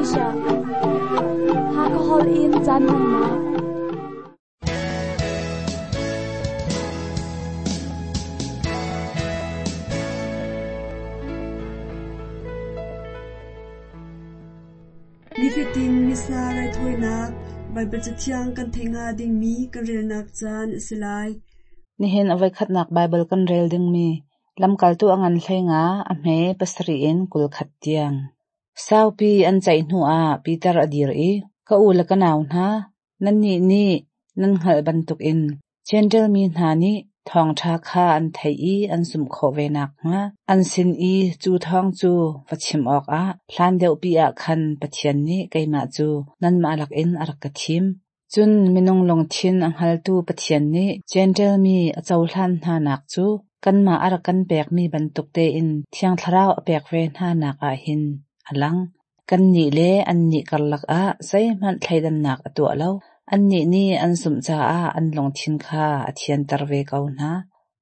Malaysia. Hakha holh in caan hmannak. Nifatin Missa raithawinak Baibal Cathiang kan theih hnga dingmi kan relnak caan a si lai. Nihin a voikhatnak Baibal kan rel dingmi Lamkaltu a ngan 15 a hme 7 in 21 tiang. Saupi an ceih hnuah Piter a dir i, Ka u le ka nau hna, nannih nih nan hngalh bantukin Jentail mi hna nih thawngṭha kha an theih i an zumh khawh ve nakhnga an sin i cu thawng cu va chim awkah hlan deuhpi ah khan Pathian nih keimah cu nanmah lakin a rak ka thim. Cun minung lungthin a hngaltu Pathian nih Jentail mi a cohlan hnanak cu kanmah a rak kan pekmi bantuk tein Thiang Thlarau a pek ve hnanak ah hin a lang. Kannih le annih karlak ah zeihmanh thleidannak a tuah lo. Annih nih an zumh caah an lungthin kha a thianter ve ko hna.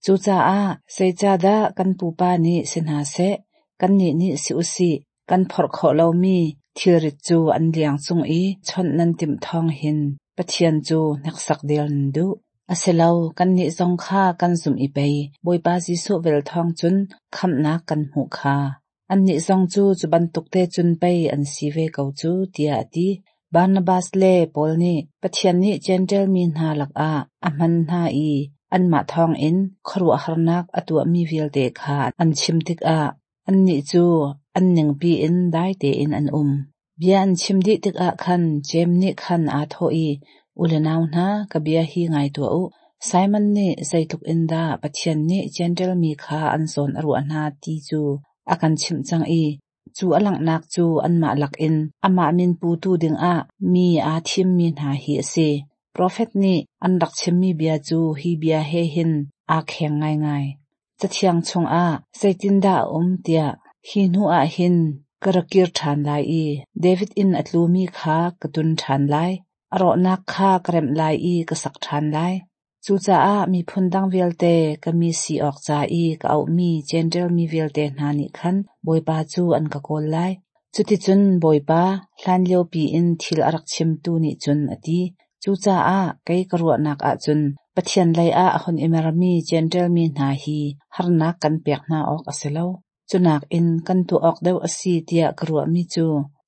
Cucaah zeicahdah kan pupa nih si hna seh, kannih nih si u sih, kan phorh khawh lomi thilrit cu an liang cung i chawnh nan timh thawng hin Pathian cu hneksak del nan duh. Asilo, kannih zong kha kan zumh i pei Bawipa Jesuh vel thawng cun khamhnak kan hmuh kha. Annih zong cu cu bantuk te cun pei an si ve ko cu, tiah a ti. Barnabas le Paul nih Pathian nih Jentail mi hna lakah a hman hna i anmah thawngin khuaruahharnak a tuahmi vialte kha an chim tikah annih cu an ningpi in dai tein an um. Bia an chim dih tikah khan Jeim nih khan aa thawh i, U le nau hna, ka bia hi ngai tuah u. Simon nih zeitluk in dah Pathian nih Jentail mi kha an zawn a ruah hna ti cu a kan chimh cang i cu a langhnak cu anmah lakin amah min putu dingah mi aa thimmi hna hi a si. Profet nih an rak chimmi bia cu hi bia he hin aa kheng ngaingai. Cathiang chungah zeitindah a um tiah hi hnuah hin ka ra kir ṭhan lai i David inn a tlumi kha ka tun ṭhan lai, a rawhnak kha ka remh lai i ka sak ṭhan lai. Cucaah miphun dang vialte ka mi si awk ca i ka auhmi Jentail mi vialte hna nih khan Bawipa cu an ka kawl lai. Cuticun Bawipa, hlanliopi in thil a rak chimtu nih cun a ti. Cucaah kei ka ruahnak ahcun Pathian leiah a hun i mermi Jentail mi hna hi harnak kan pek hna awk a si lo. Cu nakin kan tuah awk deuh a si tiah ka ruahmi cu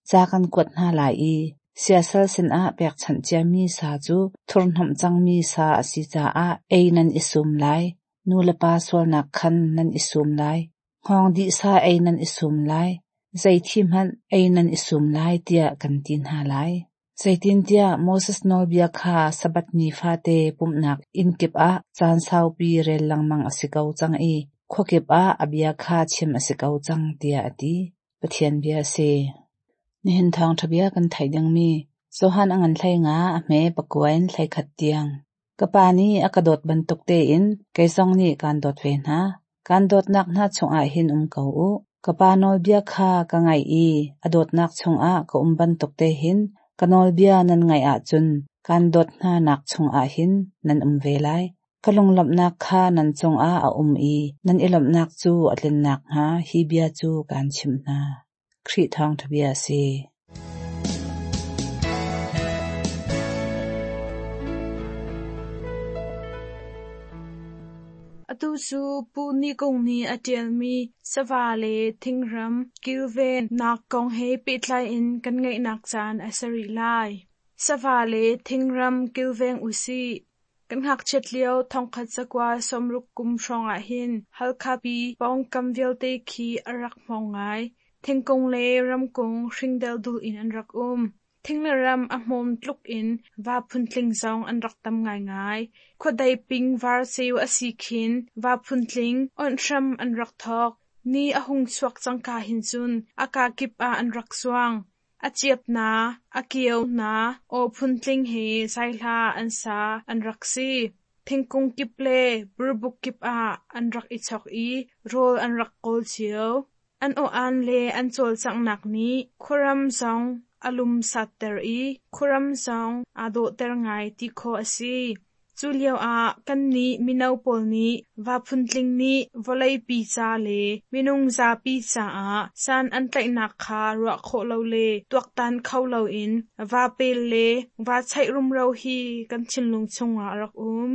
ca kan kuat hna lai i siasal sinah pekchanh ciami sa cu thurhhnawmh cangmi sa a si caah ei nan i sum lai, nu le pa sualnak khan nan i sum lai, hngawng dih sa ei nan i sum lai, zei thi hmanh ei nan i sum lai tiah kan ti hna lai. Zeitintiah Moses nawlbia kha Sabbath ni fate pumhnak inn kip ah caan saupi rel lengmang a si ko cang i khuakip ah a bia kha chim a si ko cang, tiah a ti. Pathian bia a si. Nihin thawngṭha bia kan theih dingmi Johan a ngan 15 a hme 9 in 11 tiang. Ka Pa nih a ka dawt bantuk tein kei zong nih kaan dawt ve hna. Kaan dawtnak hna chungah hin um ko u. Ka Pa nawlbia kha ka ngaih i a dawtnak chungah ka um bantuk te hin ka nawlbia nan ngaih ahcun kaan dawt hnanak chungah hin nan um ve lai. Ka lunglawmhnak kha nan cungah a um i nan i lawmhnak cu a tlin nakhnga hi bia cu kaan chimh hna. Khrih thawngṭha bia a si. Atu cu Pu Ni Kung nih a ṭialmi sava le thingram kilvennak kong he pehtlai in kan ngaihnak caan a si rih lai. Sava le thingram kilveng usih. Kan ngakchiat lio 1960 kum hrawng ahhin Halkha pi pawngkam vialte khi a rak hmawng ngai. Thingkung le ramkung hring deldul in an rak um. Thing le ram a hmawm tluk in va phuntling zong an rak tam ngaingai. Khuadei ping var ceu a si khin va phuntling onh hram an rak thawk. Ni a hung chuak cangka hin cun a kakip ah an rak zuang. A ciap na, a kio na, aw phuntling he zaihla an sa an rak si. Thingkung kip le burbuk kip ah an rak i chok i rawl an rak kawl cio. An aw-aan le an cawlcanghnak nih khuaram zong a lumsatter i khuaram zong aa dawhter ngai ti khawh a si. Cu lioah kannih mino pawl nih va phuntling nih vawleipi ca le minung zapi caah san an tlaihnak kha ruah khawh lo le tuaktan kho loin va pel le va cheih rumro hi kan thinlung chungah a rak um.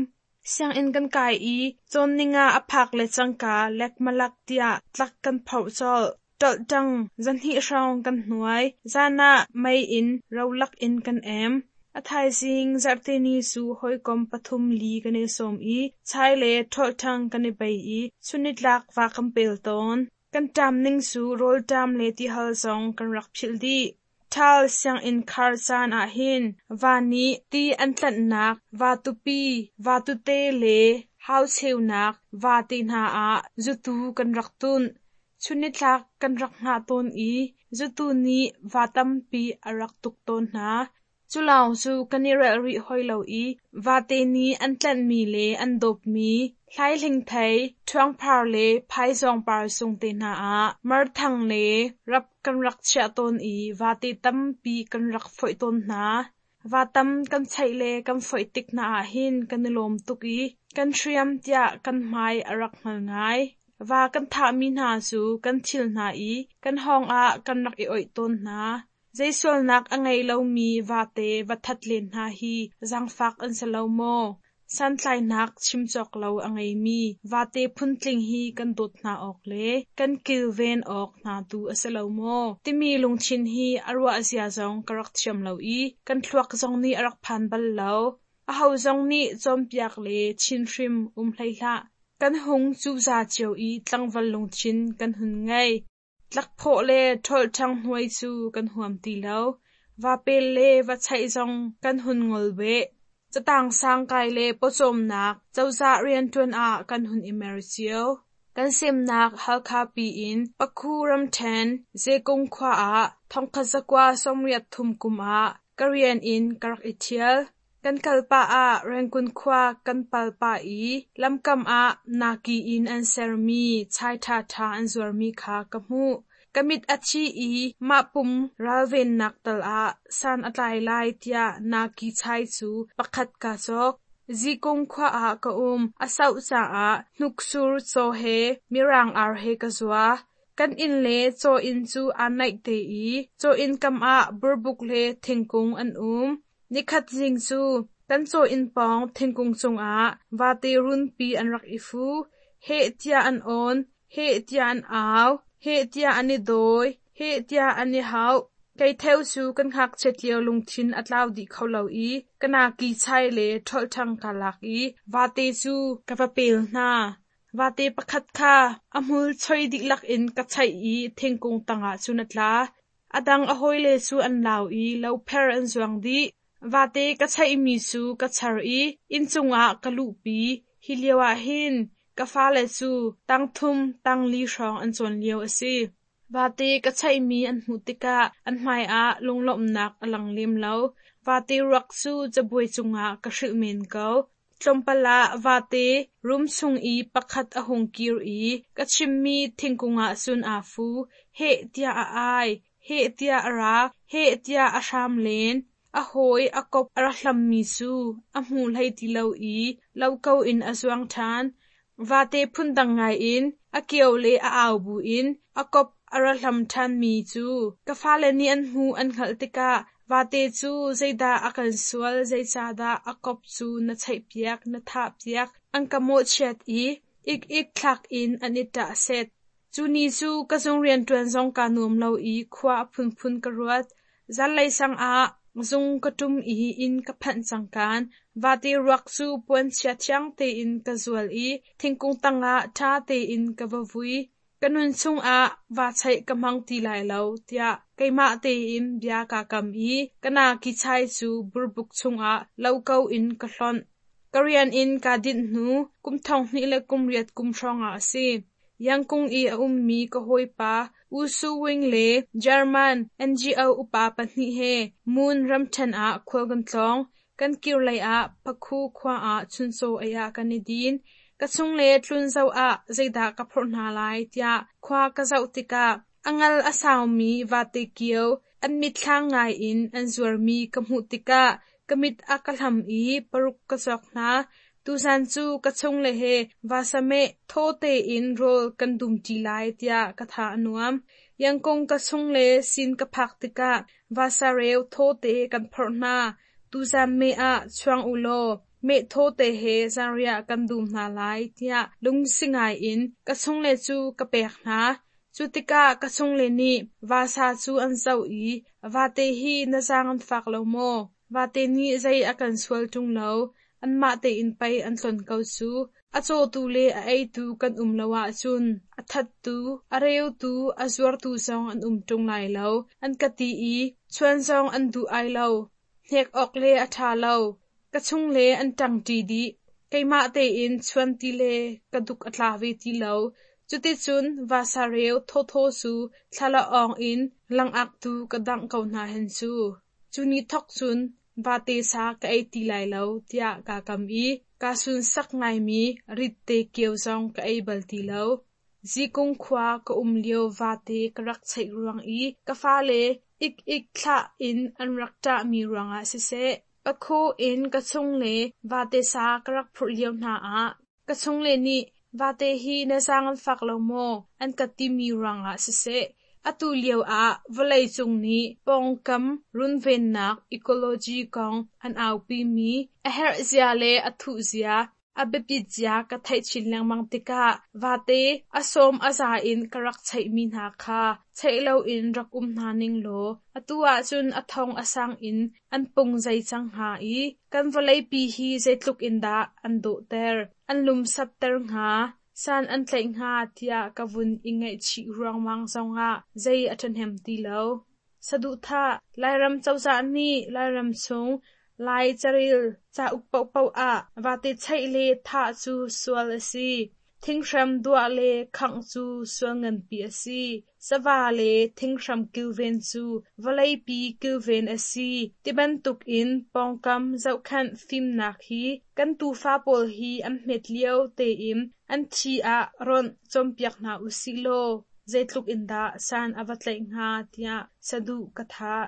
Sianginn kan kai i cawnning ah a phak le cangka lekmalak tiah tlak kan phoh colh. Ṭolhṭang zahnih hrawng kan hnuai. Zan ah mei in rolak in kan em. A thaizing zarhteni cu hawikom pathum li kan i sawm i chai le ṭholhṭhang kan i bei i chunnitlak va kan pel tawn. Kan ṭam ning cu rawlṭam le tihal zong kan rak philh dih. Ṭhal sianginn khar caan ahhin va nih ti an tlanhnak va tupi, va tute le hau cheunak va te hna ah zutu kan rak tunh. Chunnitlak kan rak hngah tawn i zutu nih va tampi a rak tuk tawn hna. Cu lawng cu kan i relh rih hoi lo i vate nih an tlanhmi le an dawpmi hlaihlingthei, ṭhuangphar le phaizawngpar sung te hna ah marthang le rap kan rak chiah tawn i vate tampi kan rak foih tawn hna. Va tam kan cheih le kan foih tik hna ahhin kan i lawm tuk i kan hriam tiah kan hmai a rak hngal ngai. Va kan thahmi hna cu kan thil hna i kan hawng ah kan rak i oih tawn hna. Zei sualnak a ngei lomi vate va that len hna hi zaangfak an si lo maw? Santlainak chim cawk lo a ngeimi vate phuntling hi kan dawt hna awk le kan kilven awk hna tu a si lo maw? Timi lungthin hi a ruah zia zong ka rak thiam lo i kan thluak zong nih a rak phan bal lo. Aho zong nih cawnpiak le chinhrim um hlei hlah. Kan hung cuza cio i tlangval lungthin kan hun ngei. Tlakphawh le ṭholhṭhang hnuai cu kan huam ti lo. Vapel le va cheih zong kan hun ngol beh. Catang sang kai le pawcawmnak cozah rianṭuan ah kan hun i mer cio. Kan semnak Halkha pi in Pakhu ramṭhen Zekung khua ah 1983 kum ah ka rian in ka rak i ṭhial. Kan kal pah ah Rangoon khua kan pal pah i lamkam ah naki in an sermi chai ṭhaṭha an zuarmi kha ka hmuh. Ka mit a thi i mah pum ralvennak tal ah san a tlai lai tiah naki chai cu pakhat kaa cawk. Zikung khua ah ka um a sauh caah hnuksur caw he mirang ar he ka zua. Kan inn le caw inn cu aa naih te i caw inn kam ah burbuk le thingkung an um. Nikhat zing cu kan caw inn pawng thingkung cungah vate runpi an rak i fu. Heh tiah an awn, heh tiah an au, heh tiah an i dawi, heh tiah an i hauh. Kei theu cu kan ngakchiat lio lungthin a tlau dih kho lo i ka naki chai le ṭholhṭhang kaa lak i vate cu ka va pel hna. Vate pakhat kha a hmul choi dihlak in ka chaih i thingkung tangah cun a tla. A dang a hawile cu an lau i lopher an zuang dih. Vate ka chaihmi cu ka char i inncung ah ka luhpi. Hi lioah hin ka fale cu tangthum tangli hrawng an cawn lio a si. Vate ka chaihmi an hmuh tikah an hmaiah lunglawmhnak a lang lem lo. Vate ruak cu cabuai cungah ka hrilh men ko. Tlawmpal ah vate room chung i pakhat a hung kir i ka chimmi thingkung ah cun aa fu. Heh tiah a ai, heh tiah a rak, heh tiah a hram len. A hawi a kop a rak hlammi cu a hmu hlei ti lo i lo ko in a zuang ṭhan. Vate phundang ngaiin a kio le a au buin a kop a ra hlam ṭhanmi cu ka fale nih an hmuh an hngalh tikah vate cu zeidah a kan sual, zeicahdah a kop cu na cheihpiak, na thahpiak, an ka mawhchiat i ik-ik thlak in an i ṭah set. Cu ni cu ka zung rianṭuan zong kaa nuam lo i khua a phunphun ka ruat. Zanlei sang ah zung ka ṭum i inn ka phanh cangkaan vate ruak cu puanchia thiang tein ka zual i thingkung tangah ṭha tein ka va vui. Ka nun chungah vaa cheih ka hmang ti lai lo tiah keimah tein bia kaa kam i ka naki chai cu burbuk chungah lo ko in ka hlonh. Ka rian in kaa dinh hnu kum 2008 kum hrawngah a si. Yangkung i a ummi ka hawipa U Su Wing le German NGO upa pahnih he Moon ramṭhen ah khual kan tlawng. Kan kir lei ah Pakhu khua ah chuncaw ei ah kan i din. Ka chung le tlun zoh ah zeidah ka phorh hna lai tiah khua ka zoh tikah a ngal a saumi vate kio an mitthlang ngai in an zuarmi ka hmuh tikah Ka mit a ka hlam i paruk ka cawk hna. Tuzan cu ka chungle he vasa meh thaw tein rawl kan dumṭi lai tiah ka tha a nuam. Yangkung ka chungle sin ka phak tikah vasa reu thawte kan phorh hna. Tuzan meh ah chuang u law meh thawte he zanriah kan dum hna lai tiah lungsi ngai in ka chungle cu ka pek hna. Cu tikah ka chungle nih vasa cu an zoh i vate hi na zaang an fak lo maw? Vate nih zei a kan sual ṭung lo, anmah tein pei an tlon ko cu. A cawtu le a eitu kan um lo ahcun a thattu, a reutu, a zuartu zong an um ṭung lai lo, an ka ti i chuan zong an duh ai lo. Hnek awk le a ṭha lo. Ka chungle an ṭangṭi dih. Keimah tein chuan ti le ka duk a tla ve ti lo. Cuticun vasa reu thawthaw cu thlalaawng in langak tu ka dangh ko hna hen cu. Cu ni thawk cun vate sa ka ei ti lai lo tiah kaa kam i kaa sunsak ngaimi ritte kio zong ka ei bal ti lo. Zikung khua ka um lio vate ka rak cheih ruang i ka fale ik-ik thlah in an rak ṭahmi ruangah siseh, pakhu in ka chungle vate sa ka rak phurh lio hna ah ka chungle nih vate hi na zaang an fak lo maw an ka timi ruangah siseh, atu lio ah vawleicung nih pawngkam runvennak ecology kong an aupimi a herh zia le a thuh zia, a biapit zia ka theih chin lengmang tikah vate a sawm a za in ka rak cheihmi hna kha cheih loin rak um hna ning law atu ahcun a thong a sang in an pung zai cang hnga i kan vawleipi hi zeitluk in dah an dawhter, an lumsapter hnga, san an tlaih hnga tiah ka vun i ngaihchih ruangmang zongah zei a ṭhahnem ti lo. Saduhthah Lairam cozah nih Lairam chung Lai carel cauk paohpaoh ah vate cheih le thah cu sual a si. Thinghram duah le khangh cu sual nganpi a si. Sava le thinghram kilven cu vawleipi kilven a si tibantuk in pawngkam zohkhenh fimnak hi kan tufa pawl hi an hmet lio tein an thi ah ronh cawnpiak hna usih law zeitluk in dah san a va tlaih hnga tiah saduh ka thah.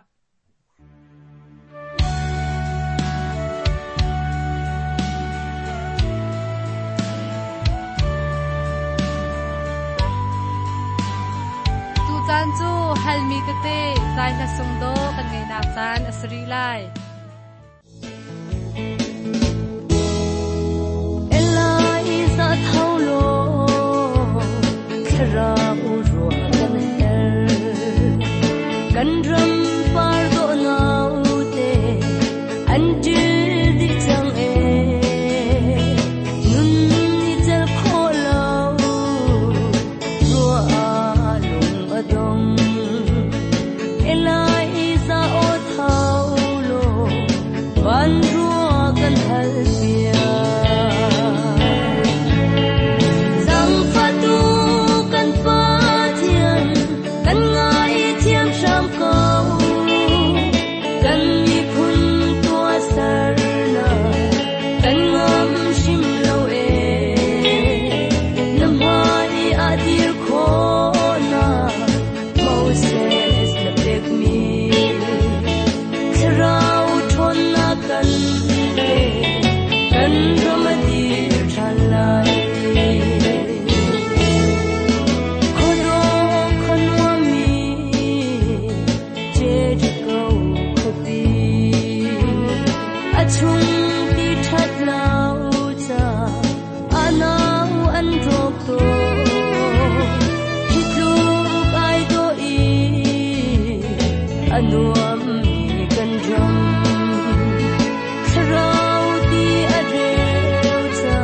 Tucaan cu halmi tete zai hla sung dawh kan ngeihnak caan a si rih lai. Eliza tho law thlarau ruah kan herh kan ram par dawh naute an ṭil dih cang ee nun ni cel khawh lo ruah ah lung a dong Eliza aw tho law van ruah kan hal piak. Zangfahtu kan Pathian, kan ngaithiam hram ko. Kan miphun tuahsernak kan ngam hrim lo ee. Na hmai ah dir khawhnak Moses na pekmi thlarau ṭhawnnak kan pe, kan ram a dir ṭhan lai. Khuadawh khuanuammi Jericho khuapi, a chung ti ṭhat lo ca a nau an rawk tawn. Hi tluk ai dawh i a nuammi kan ram. Thlarau ti a reu ca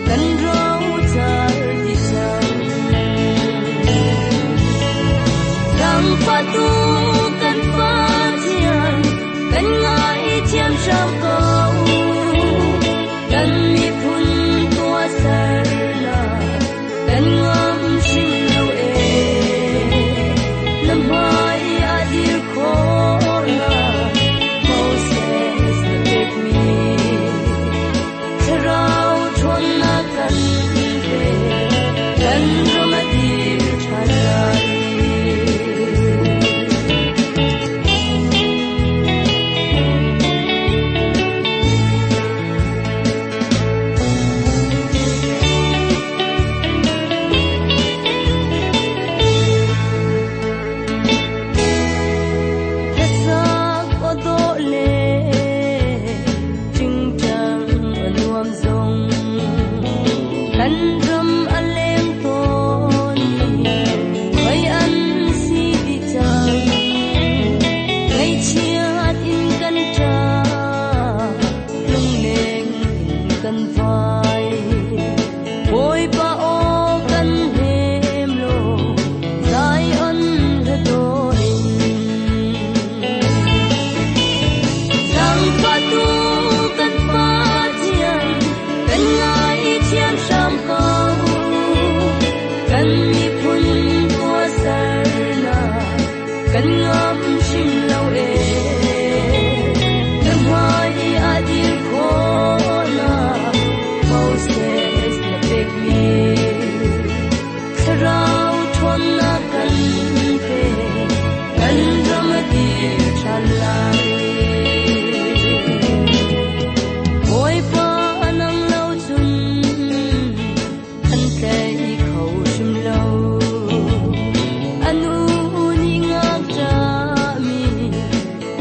kan rocar ti cang. Zangfahtu kan Pathian, kan ngaithiam hram ko. Kan miphun tuahsernak kan ngam hrim lo ee. Na hmai ah dir khawh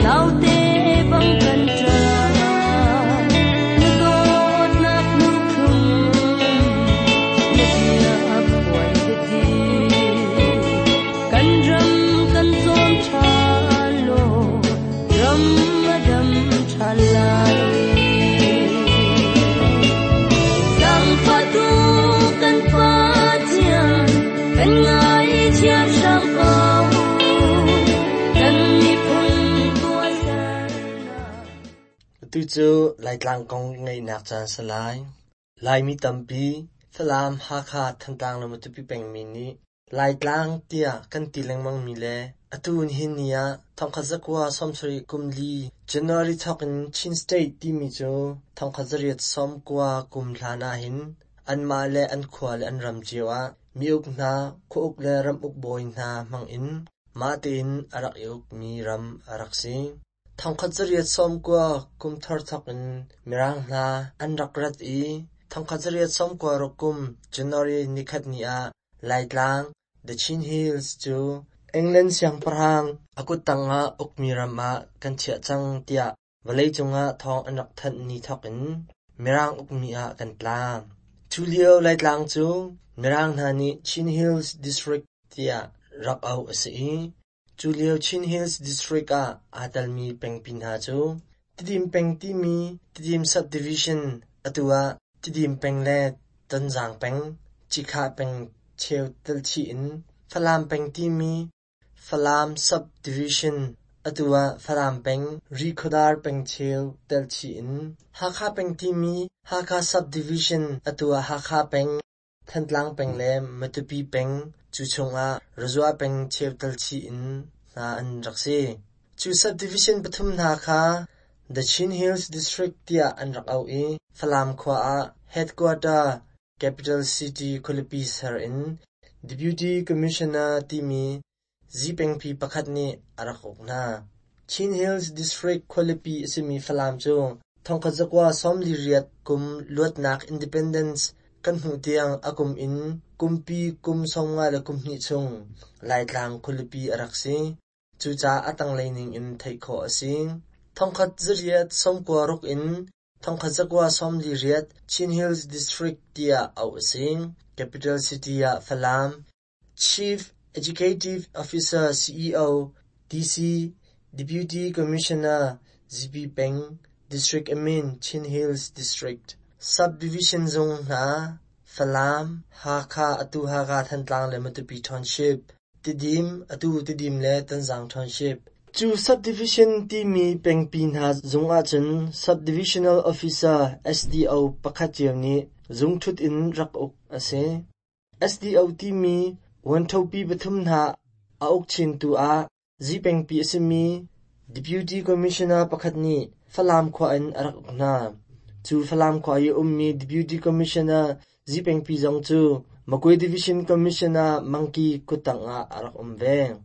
Naute bang kan ṭap, na dawtnak hnu thlum, na bia phuan biathli. Kan ram kan cawm ṭhan law, ram a dam ṭhan lai. Zaangfahtu kan Pathian, kan ngaithiam hram ko. Kan miphun tuahsernak. Atu cu Laitlang kong ngaihnak caan si lai. Laimi tampi, Falam, Hakha, Thantlang le Matupi pengmi nih Laitlang tiah kan ti lengmangmi le atu nihin ni ah 1974 January thawk in Chin State timi cu 1890 kum hlan ahhin anmah le an khua le an ram cio ah mi-uk hna, khua-uk le ram-uk bawi hna hmang in mah tein a rak i ukmi ram a rak si. 1890 kum thar thawk in Mirang hna an rak rat i 1896 kum January nikhat ni ah Laitlang, The Chin Hills cu England siangpahrang a kuttang ah ukmi ram ah kan chiah cang tiah vawleicung ah thawng an rak thanh ni thawk in Mirang ukmi ah kan tla. Cu lio Laitlang cu Mirang hna nih Chin Hills District tiah rak auh a si i Cu lio Chin Hills District ah aa telmi pengpi hna cu Tidim peng timi Tidim Subdivision, atu ah Tidim peng le Tonzang peng, Cikhah peng cheu telchih in Falam peng timi Falam Subdivision, atu ah Falam peng, Rihkhawdar peng cheu telchih in Hakha peng timi Hakha Subdivision, atu ah Hakha peng, Thantlang peng le Matupi peng cu chungah Razua peng cheu telchih in hna an rak si. Cu subdivision pathum hna kha The Chin Hills District tiah an rak auh i Falam khua ah headquarter capital city khualipi ser in Deputy Commissioner timi Zipengpi pakhat nih a rak uk hna. Chin Hills District khualipi a simi Falam cu 1948 kum luatnak independence kan hmuh tiang a kum in kumpi kum 52 chung Laitlang khualipi a rak si. Cucaah a tanglei ning in theih khawh a si. 1896 in 1948 Chin Hills District tiah auh a si. Capital City ah Falam, Chief Executive Officer CEO, DC, Deputy Commissioner, ZP Peng, District Admin, Chin Hills District, Subdivision zung hna, Falam, Hakha, atu Hakha Thantlang le Matupi Township, Tidim, atu Tidim le Tonzang Township. Cu subdivision timi pengpi hna zung ahcun Subdivisional Officer SDO pakhat cio nih zungṭhut in rak uk a si. SDO timi vuanṭhopi pathum hna a uk chintu ah Zipengpi a simi Deputy Commissioner pakhat nih Falam khua in a rak uk hna. Cu Falam khua i a ummi Deputy Commissioner Zipengpi zong cu Magwe Division Commissioner Mangki kuttang ah a rak um ve.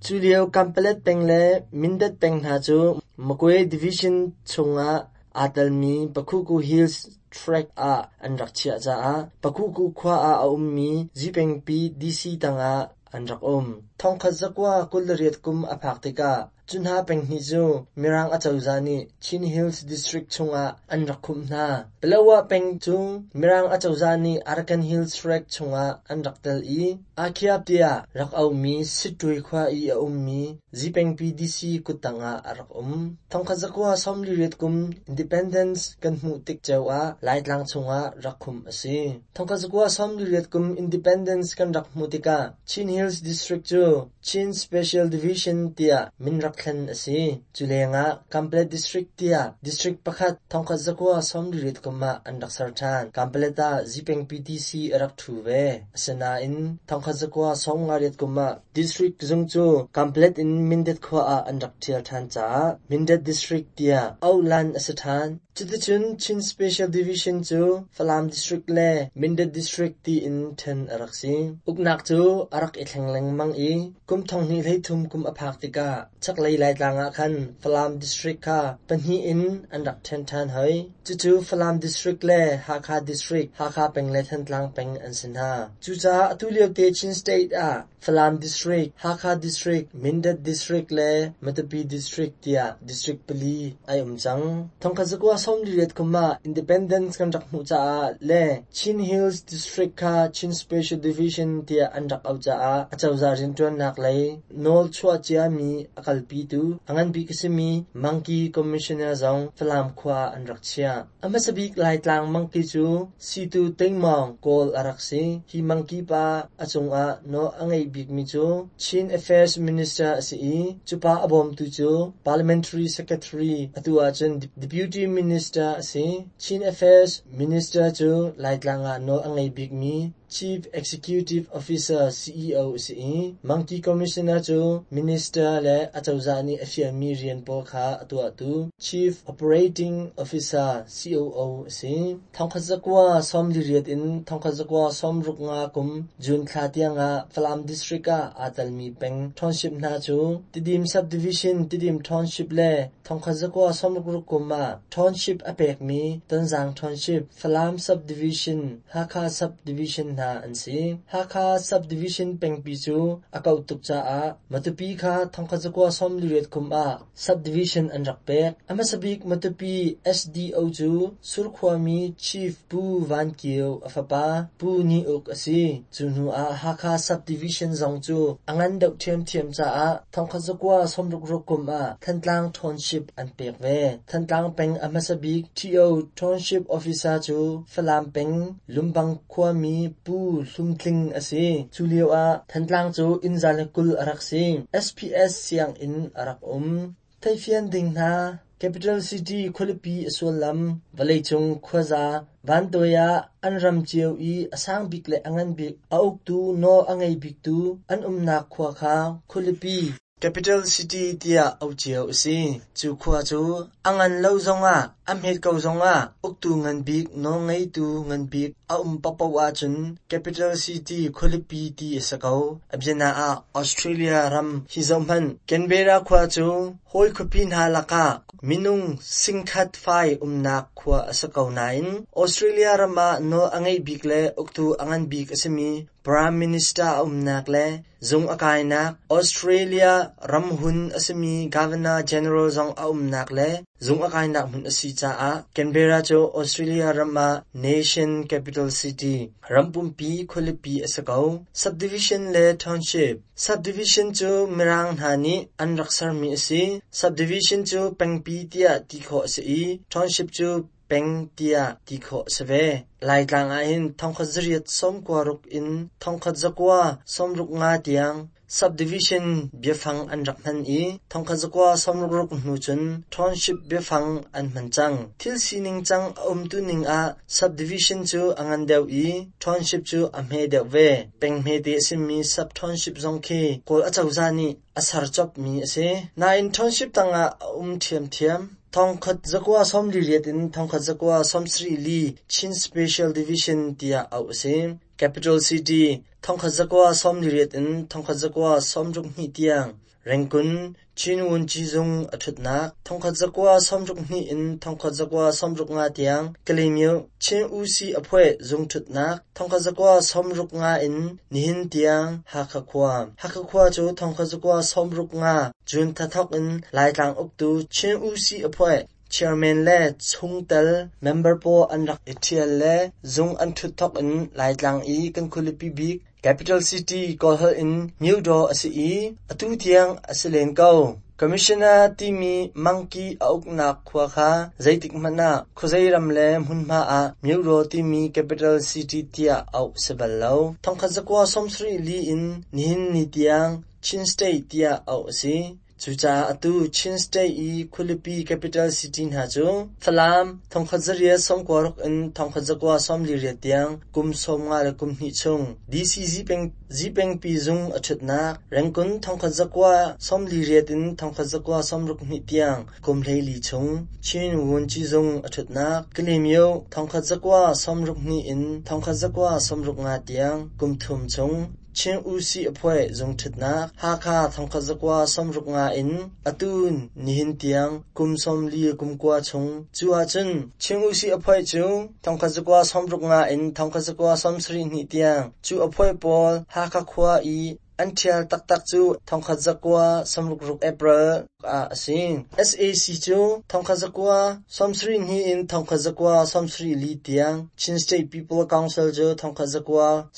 Cu lio Kanpalet peng le Mindat peng hna cu Magwe Division chungah aa telmi Pakhuku Hills Tract ah an rak chiah caah Pakhuku khua ah a ummi Zipengpi DC tangah an rak um. 1928 kum a phak tikah cu hna peng hnih cu Mirang acozah nih Chin Hills District chungah an rak khumh hna. Palawa peng cu Mirang acozah nih Arakan Hills Tract chungah an rak tel i Akhiap tiah rak auhmi Sittwe khua i a ummi Zipengpi DC kuttang ah a rak um. 1948 kum Independence kan hmuh tik ceo ah Laitlang chungah rak khumh a si. 1948 kum Independence kan rak hmuh tikah Chin Hills District cu Chin Special Division tiah min rak thlen a si. Cu lengah Kanpalet District tiah district pakhat 1948 kum ah an rak ser ṭhan. Kanpalet ah Zipengpi DC a rak ṭhu ve. Asinain 1958 kum ah District zung cu Kanpalet in Mindat khua ah an rak ṭhial ṭhan caah Mindat District tiah auhlan a si ṭhan. Cuticun Chin Special Division cu Falam District le Mindat District tiin ṭhen a rak si. Uknak cu a rak i thleng lengmang i kum 2023 kum a phak tikah chaklei Laitlang ah khan Falam District kha pahnih in an rak ṭhen ṭhan hoi. Cucu Falam District le Hakha District, Hakha peng le Thantlang peng an si hna. Cucaah atu liote Chin State ah Falam District, Hakha District, Mindat District le Matupi District tiah district pali ai um cang. Thongkhat zakua 48 kum ah independence kan rak hmuh caah le Chin Hills District kha Chin Special Division tiah an rak auh caah acozah rianṭuannak lei nawl chuah ciami a kalpitu a ngan bik a simi Mangki Commissioner zong Falam khua ah an rak chiah. A hmasa bik Laitlang mangki cu Situ Tingmawng Kawl a rak si. Hi mangki pa a cungah nawl a ngei bikmi cu Chin Affairs Minister a si i cu pa a bawmtu cu Parliamentary Secretary, atu ahcun Deputy Minister a si. Chin Affairs Minister cu Laitlang ah nawl a ngei bikmi Chief Executive Officer CEO a si i Mangki Commissioner cu Minister le acozah nih a fialmi rian pawl kha a tuahtu Chief Operating Officer COO a si. Thongkhat zakua 48 in thongkhat zakua 65 kum June thla tiangah Falam District ah aa telmi peng township hna cu Tidim Subdivision, Tidim Township le thongkhat zakua 66 kum ah township a pekmi Tonzang Township, Falam Subdivision, Hakha Subdivision hna an si. Hakha Subdivision pengpi cu a kauh tuk caah Matupi kha thongkhat zakua 48 kum ah Subdivision an rak pek. A hmasa bik Matupi SDO cu Surkhuami Chief Pu Van Kio a fapa Pu Ni Uk a si. Cu hnu ah Hakha Subdivision zong cu a ngan deuh ṭhiamṭhiam caah thongkhat zakua 66 kum ah Thantlang Township an pek ve. Thantlang peng a hmasa bik Ṭhio Township Officer cu Falam peng Lumbang khuami Pu Hlum Tling a si. Cu lio ah Thantlang cu inn za le 20 a rak si. SPS sianginn a rak um. Theihfian ding hna Capital City khualipi a sullam vawleicung khuaza vantuai ah an ram cio i a sang bik le a ngan bik a uktu nawl a ngei biktu an umnak khua kha khualipi Capital City tiah auh cio a si. Cu khua cu a ngan lo zongah, a hmet ko zongah uktu ngan bik, nawlngeitu ngan bik a um paohpaoh ahcun Capital City khualipi ti a si ko. A biana ah Australia ram hi zohhmanh. Canberra khua cu hawi khuapi hna lakah minung singkhat fai umnak khua a si ko nain Australia ram ah nawl a ngeih bik le uktu a ngan bik a simi Prime Minister a umnak le zung a kainak, Australia ramhun a simi Governor General zong a umnak le zung a kainak hmun a si caah Canberra cu Australia ram ah Nation Capital City, ram pumpi khualipi a si ko. Subdivision le Township Subdivision cu Mirang hna nih an rak sermi a si. Subdivision cu pengpi tiah ti khawh a si i Township cu peng tiah ti khawh a si ve. Laitlang ahhin thongkhat zariat 96 in thongkhat 965 tiang subdivision biafang an rak hman i thongkhat 966 hnu cun township biafang an hman cang. Thil sining cang a umtu ning ah subdivision cu a ngan deuh i township cu a hme deuh ve. Peng hmete a simi sub-township zong khi Kawl acozah nih a ser copmi a si. Nain township tangah a um ṭhiamṭhiam. Thongkhat zakua 48 in thongkhat zakua 74 Chin Special Division tiah auh a si. Capital City thongkhat zakua 48 in thongkhat zakua 62 tiang Rengkun Chin Wunci zung a ṭhutnak thongkhat zakua 62 in thongkhat zakua 65 tiang Kalaymyo Chin Usi Aphueh zung ṭhutnak thongkhat zakua 65 in nihin tiang Hakha khua. Hakha khua cu thongkhat zakua 65 June thla thawk in Laitlang uktu Chin Usi Aphueh chairman le chungtel member pawl an rak i ṭhial le zung an ṭhut thawk in Laitlang i kan khualipi bik Capital City Kawlholh in Myodaw a si i atu tiang a si len ko. Commissioner timi mangki a uknak khua kha zeitik hmanh ah khuazei ram le hmunhma ah Myodaw timi Capital City tiah auh si bal lo. Thongkhat zakua 74 in nihin ni tiang Chin State tiah auh a si. Cucaah atu Chin State i khualipi capital city hna cu Falam thongkhat zariat 96 in thongkhat zakua 48 tiang kum 50 le kum hnih chung DC Zipengpi zung a ṭhutnak, Rengkun thongkhat zakua 48 in thongkhat zakua 62 tiang kum 14 chung Chin Wunci zung a ṭhutnak, Kalaymyo thongkhat zakua 62 in thongkhat zakua 65 tiang kum thum chung Chin Usi Aphuai zung ṭhutnak Hakha thongkhat zakua 65 in atu nihin tiang kum 40 kum kua chung. Cu ahcun Chin Usi Aphuai cu thongkhat zakua 65 in thongkhat zakua 72 tiang cu aphuai pawl Hakha khua i An ṭhial taktak cu 1966 April ah a si. Sac cu 1972 in 1974 tiang, Chin State People Council cu 1974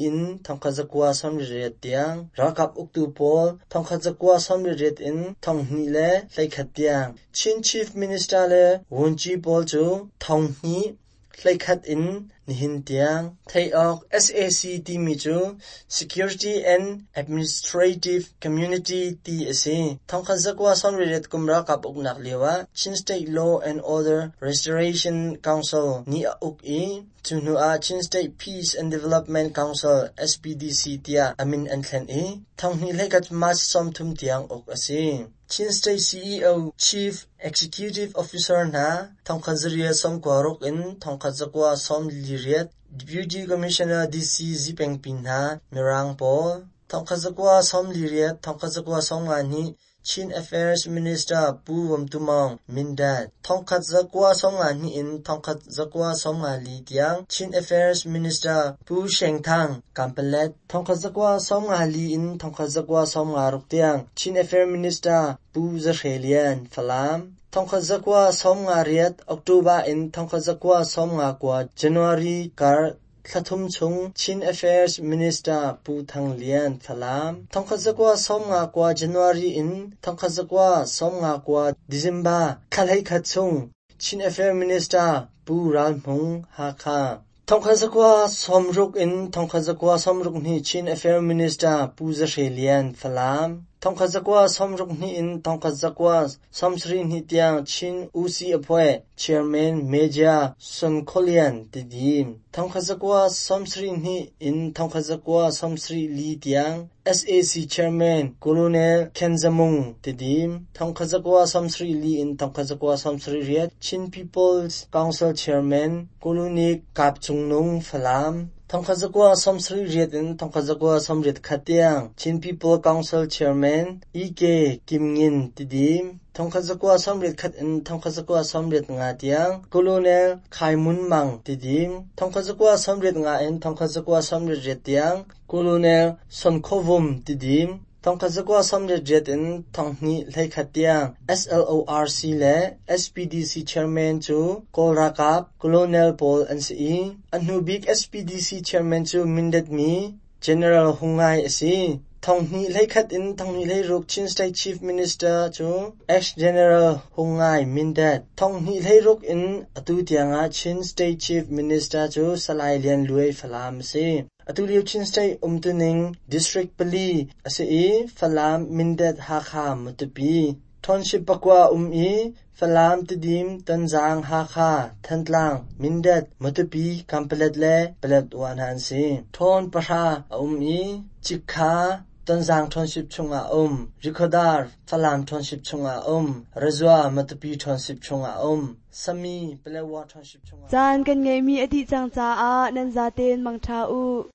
in 1998 tiang, ralkap uktu pawl 1998 in 2021 tiang, Chin Chief Minister le Vunci pawl cu 2011 in nihin tiang. Theih awk sac timi cu Security and Administrative Community ti a si. 1998 kum ralkap uknak lioah Chin State Law and Order Restoration Council nih a uk i cu hnu ah Chin State Peace and Development Council SPDC tiah a min an thlen i 2021 March 30 tiang uk a si. Chin State CEO Chief Executive Officer hna 1996 in 1948, Deputy Commissioner DC Zipengpi hna Mirang pawl 1948 1952 Chin Affairs Minister Pu Vom Tu Maung, Mindat 1952 in 1954 tiang Chin Affairs Minister Pu Sheng Thang, Kanpalet 1954 in 1956 tiang Chin Affairs Minister Pu Za Hre Lian, Falam 1958 October in 1959 January kar thla thum chung Chin Affairs Minister Pu Thang Lian, Falam 1959 January in 1959 December thla 11 chung Chin Affairs Minister Pu Ral Hmung, Hakha 1960 in 1962 Chin Affairs Minister Pu Za Hre Lian, Falam 1962 in 1972 tiang Chin Usi Apwe Chairman Major Sun Kholian, Tidim 1972 in 1974 tiang sac Chairman Colonel Khen Za Mung, Tidim 1974 in 1978 Chin People's Council Chairman Colonel Kap Cung Nung, Falam 1978 in 1981 tiang Chin People Council Chairman E.K. Kim Ngin, Tidim 1981 in 1985 tiang Colonel Khai Mun Mang, Tidim 1985 in 1988 tiang Colonel Son Kho Vum, Tidim 1988 in 2021 tiang SLORC le SPDC Chairman cu Kawl ralkap Colonel pawl an si i a hnu bik SPDC Chairman cu Mindat mi General Hung Ngai a si. 2021 in 2026 Chin State Chief Minister cu ex-General Hung Ngai, Mindat. 2026 in atu tiangah Chin State Chief Minister cu Salai Lian Luai, Falam a si. Atu lio Chin State umtuning District 4 a si i Falam, Mindat, Hakha, Matupi. Township 9 um i Falam, Tidim, Tonzang, Hakha, Thantlang, Mindat, Matupi, Kanpalet le Paletwa hna an si. Town 10 a um i Cikha, Tonzang Township chungah um. Rikhodar, Falam Township chungah um. Rezua, Matupi Township chungah um. Sami, Paletwa Township chungah. Caan kan ngeihmi a dih cang caah nan zaten mangṭha u.